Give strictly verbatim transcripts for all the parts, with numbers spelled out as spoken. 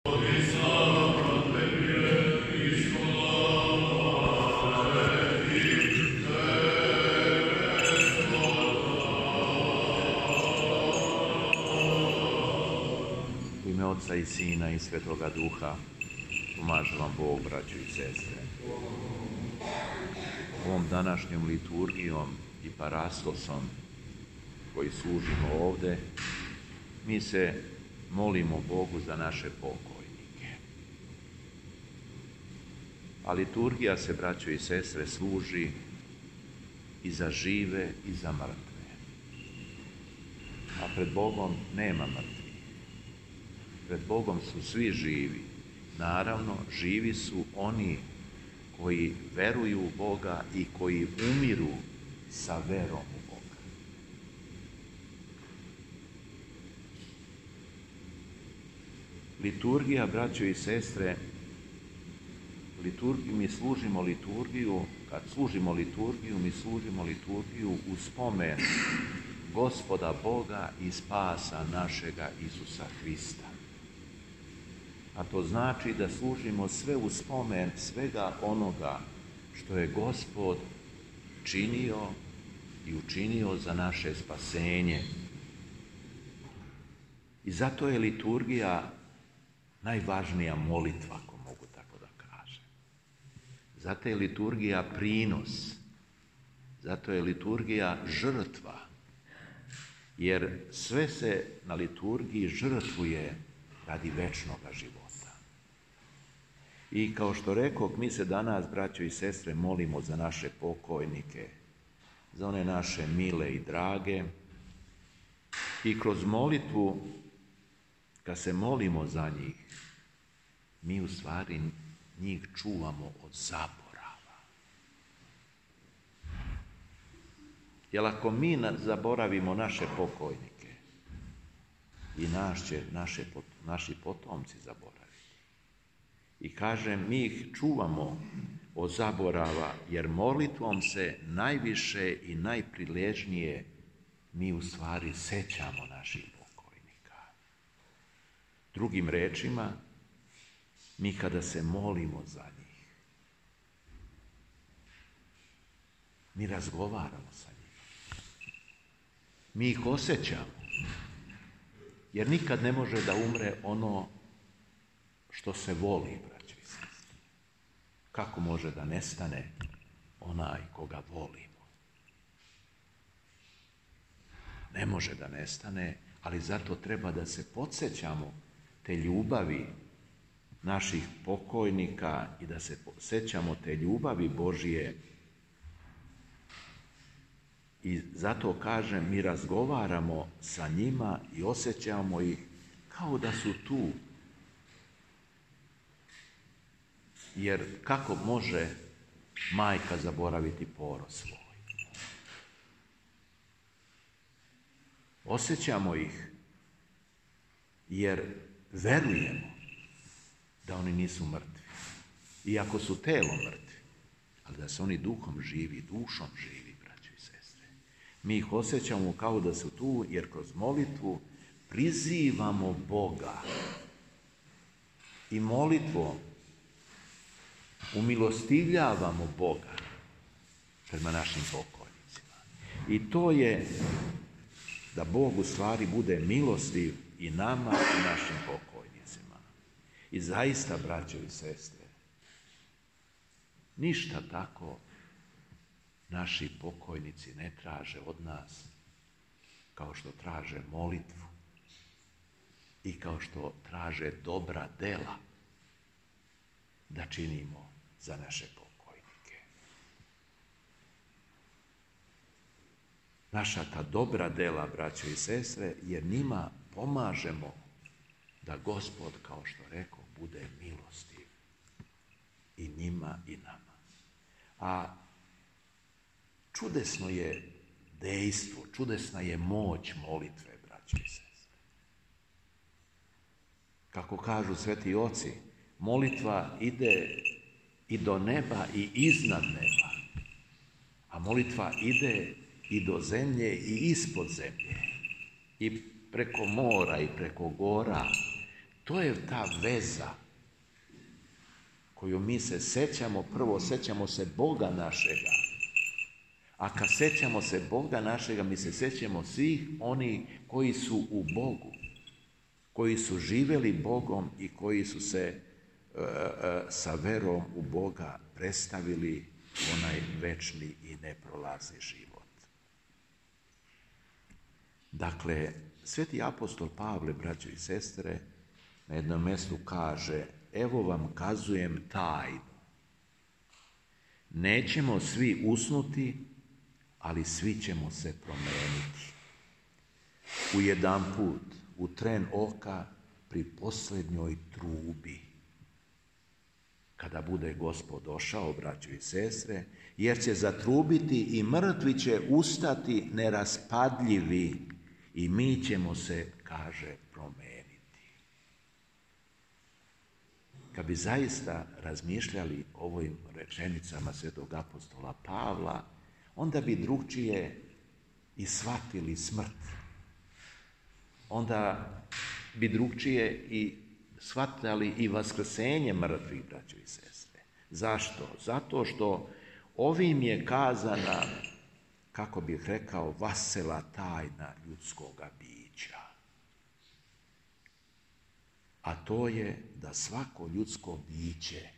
U ime Otca i Sina i Svetoga Duha, pomaže vam Bog, braćo i sestre. Ovom današnjom liturgijom i parastosom koji služimo ovde, mi se molimo Bogu za naše pokojnike. A liturgija se, braćo i sestre, služi i za žive i za mrtve. A pred Bogom nema mrtvih. Pred Bogom su svi živi. Naravno, živi su oni koji veruju u Boga i koji umiru sa verom u Boga. Liturgija, braćo i sestre, liturgiju, mi služimo liturgiju, kad služimo liturgiju, mi služimo liturgiju u spomen Gospoda Boga i spasa našega Isusa Hrista. A to znači da služimo sve u spomen svega onoga što je Gospod činio i učinio za naše spasenje. I zato je liturgija najvažnija molitva, ako mogu tako da kažem. Zato je liturgija prinos, zato je liturgija žrtva, jer sve se na liturgiji žrtvuje radi večnoga života. I kao što rekoh, mi se danas, braćo i sestre, molimo za naše pokojnike, za one naše mile i drage. I kroz molitvu, kad se molimo za njih, mi u stvari njih čuvamo od zaborava. Jer ako mi zaboravimo naše pokojnike, i naš će, naše, naši potomci zaboraviti. I kažem, mi ih čuvamo od zaborava, jer molitvom se najviše i najpriležnije mi u stvari sećamo naših pokojnika. Drugim rečima, mi kada se molimo za njih, mi razgovaramo sa njima. Mi ih osjećamo. Jer nikad ne može da umre ono što se voli, braćo i sestre. Kako može da nestane onaj koga volimo? Ne može da nestane, ali zato treba da se podsjećamo te ljubavi naših pokojnika i da se sećamo te ljubavi Božije. I zato kažem, mi razgovaramo sa njima i osjećamo ih kao da su tu. Jer kako može majka zaboraviti porod svoj? Osjećamo ih jer verujemo da oni nisu mrtvi. Iako su telom mrtvi, ali da su oni duhom živi, dušom živi. Mi ih osjećamo kao da su tu, jer kroz molitvu prizivamo Boga. I molitvom umilostivljavamo Boga prema našim pokojnicima. I to je da Bog u stvari bude milostiv i nama i našim pokojnicima. I zaista, braćo i sestre, ništa tako naši pokojnici ne traže od nas kao što traže molitvu i kao što traže dobra dela da činimo za naše pokojnike. Naša ta dobra dela, braćo i sestre, jer njima pomažemo da Gospod, kao što rekao, bude milostiv i njima i nama. A čudesno je dejstvo, čudesna je moć molitve, braćo i sestre. Kako kažu sveti oci, molitva ide i do neba i iznad neba, a molitva ide i do zemlje i ispod zemlje, i preko mora i preko gora, To je ta veza koju mi se sećamo, prvo sećamo se Boga našega. A kad sećamo se Boga našega, mi se sećamo svih oni koji su u Bogu, koji su živjeli Bogom i koji su se e, e, sa verom u Boga predstavili onaj večni i neprolazni život. Dakle, sveti apostol Pavle, braćo i sestre, na jednom mjestu kaže: evo vam kazujem tajnu. Nećemo svi usnuti, ali svi ćemo se promijeniti. U jedan put, u tren oka, pri posljednjoj trubi. Kada bude Gospod došao, braćo i sestre, jer će zatrubiti i mrtvi će ustati neraspadljivi i mi ćemo se, kaže, promijeniti. Kad bi zaista razmišljali o ovim rečenicama svetog apostola Pavla, onda bi drugčije i shvatili smrt. Onda bi drugčije i shvatali i vaskrsenje mrtvih, braćo i sestre. Zašto? Zato što ovim je kazana, kako bih rekao, vasela tajna ljudskoga bića. A to je da svako ljudsko biće,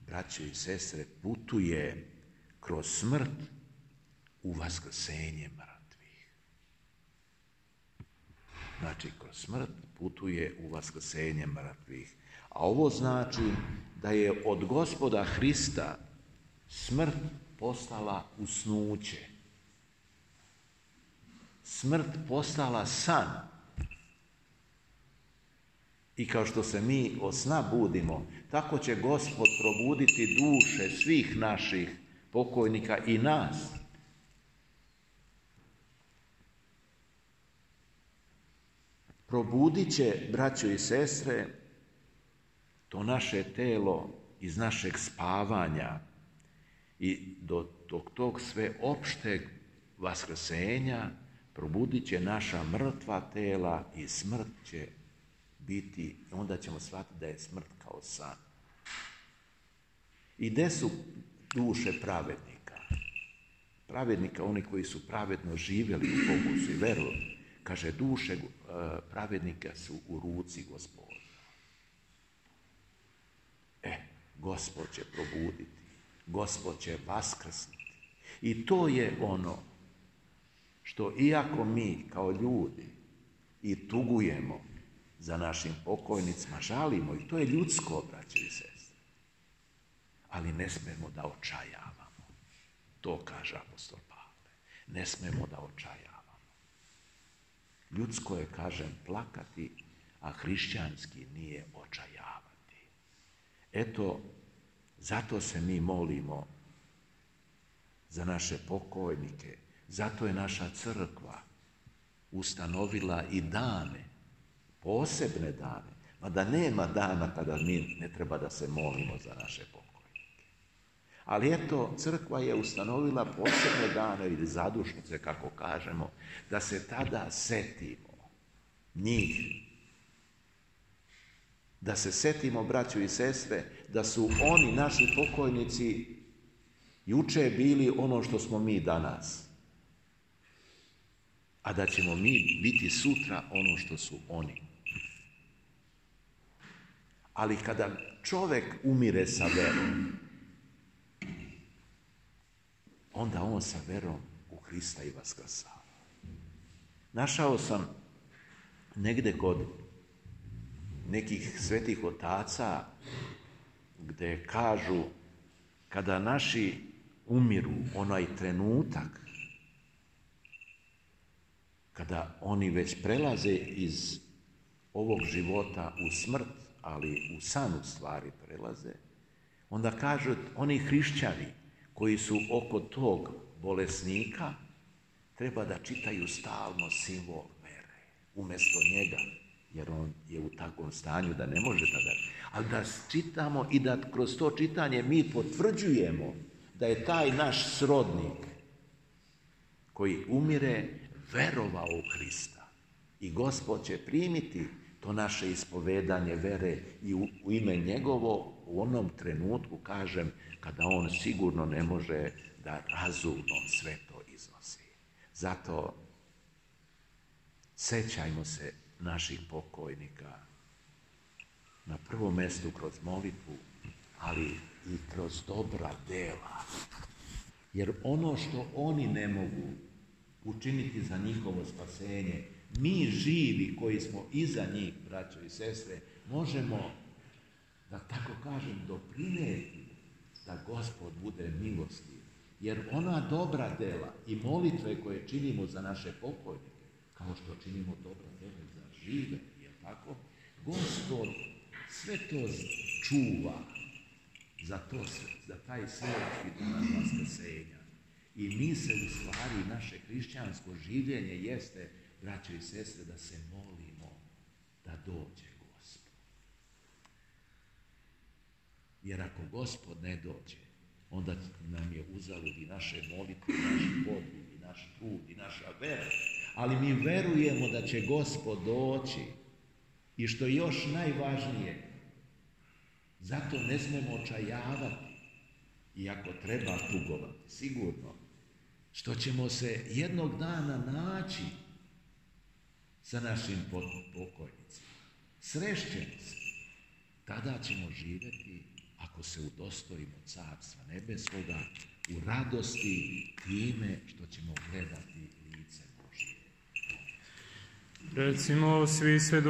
braćo i sestre, putuje kroz smrt u vaskrsenje mrtvih. Znači, kroz smrt putuje u vaskrsenje mrtvih. A ovo znači da je od Gospoda Hrista smrt postala usnuće. Smrt postala san. I kao što se mi od sna budimo, tako će Gospod probuditi duše svih naših pokojnika i nas. Probudit će, braćo i sestre, to naše telo iz našeg spavanja i do tog, tog sve opšteg vaskrsenja probudit će naša mrtva tela i smrt će biti, onda ćemo shvatiti da je smrt kao san. I gde su duše pravednika? Pravednika, oni koji su pravedno živjeli u Bogu su i verovali. Kaže, duše pravednika su u ruci Gospoda. E, Gospod će probuditi, Gospod će vaskrsnuti. I to je ono što, iako mi kao ljudi i tugujemo za našim pokojnicima, žalimo, i to je ljudsko, braćo i sestre, ali ne smemo da očajavamo. To kaže apostol Pavle. Ne smemo da očajavamo. Ljudsko je, kažem, plakati, a hrišćanski nije očajavati. Eto, zato se mi molimo za naše pokojnike, zato je naša crkva ustanovila i dane, posebne dane, mada nema dana kada mi ne treba da se molimo za naše pokojnike. Ali eto, crkva je ustanovila posebne dane ili zadušnice, kako kažemo, da se tada setimo njih. Da se setimo, braćo i sestre, da su oni, naši pokojnici, juče bili ono što smo mi danas. A da ćemo mi biti sutra ono što su oni. Ali kada čovjek umire sa verom, onda on sa verom u Hrista i vaskrsava. Našao sam negde kod nekih svetih otaca gde kažu kada naši umiru, onaj trenutak kada oni već prelaze iz ovog života u smrt, ali u san u stvari prelaze, onda kažu oni hrišćani koji su oko tog bolesnika treba da čitaju stalno simbol vere umjesto njega, jer on je u takvom stanju da ne može tada. Ali da čitamo i da kroz to čitanje mi potvrđujemo da je taj naš srodnik koji umire verovao u Hrista. I Gospod će primiti to naše ispovedanje vere i u, u ime njegovo u onom trenutku, kažem, kada on sigurno ne može da razumno sve to iznosi. Zato sećajmo se naših pokojnika na prvom mjestu kroz molitvu, ali i kroz dobra dela. Jer ono što oni ne mogu učiniti za njihovo spasenje, mi živi koji smo iza njih, braćo i sestre, možemo, da tako kažem, doprinijeti da Gospod bude milostiv. Jer ona dobra dela i molitve koje činimo za naše pokojnike, kao što činimo dobra dela za žive, je tako? Gospod sve to čuva za, to, za taj svjetski dan vaskrsenja. I mi se u stvari, naše hrišćansko življenje jeste, braćo i sestre, da se molimo da dođe Gospod. Jer ako Gospod ne dođe, onda nam je uzalud i naše molitve, i naš podvig, i naš trud, i naša vera. Ali mi verujemo da će Gospod doći. I što je još najvažnije, zato ne smemo očajavati, iako treba tugovati, sigurno, što ćemo se jednog dana naći sa našim pokojnicima. Srešćemo se. Tada ćemo živjeti, ako se udostojimo Carstva nebeskoga, u radosti time što ćemo gledati lice Božje. Recimo svi sve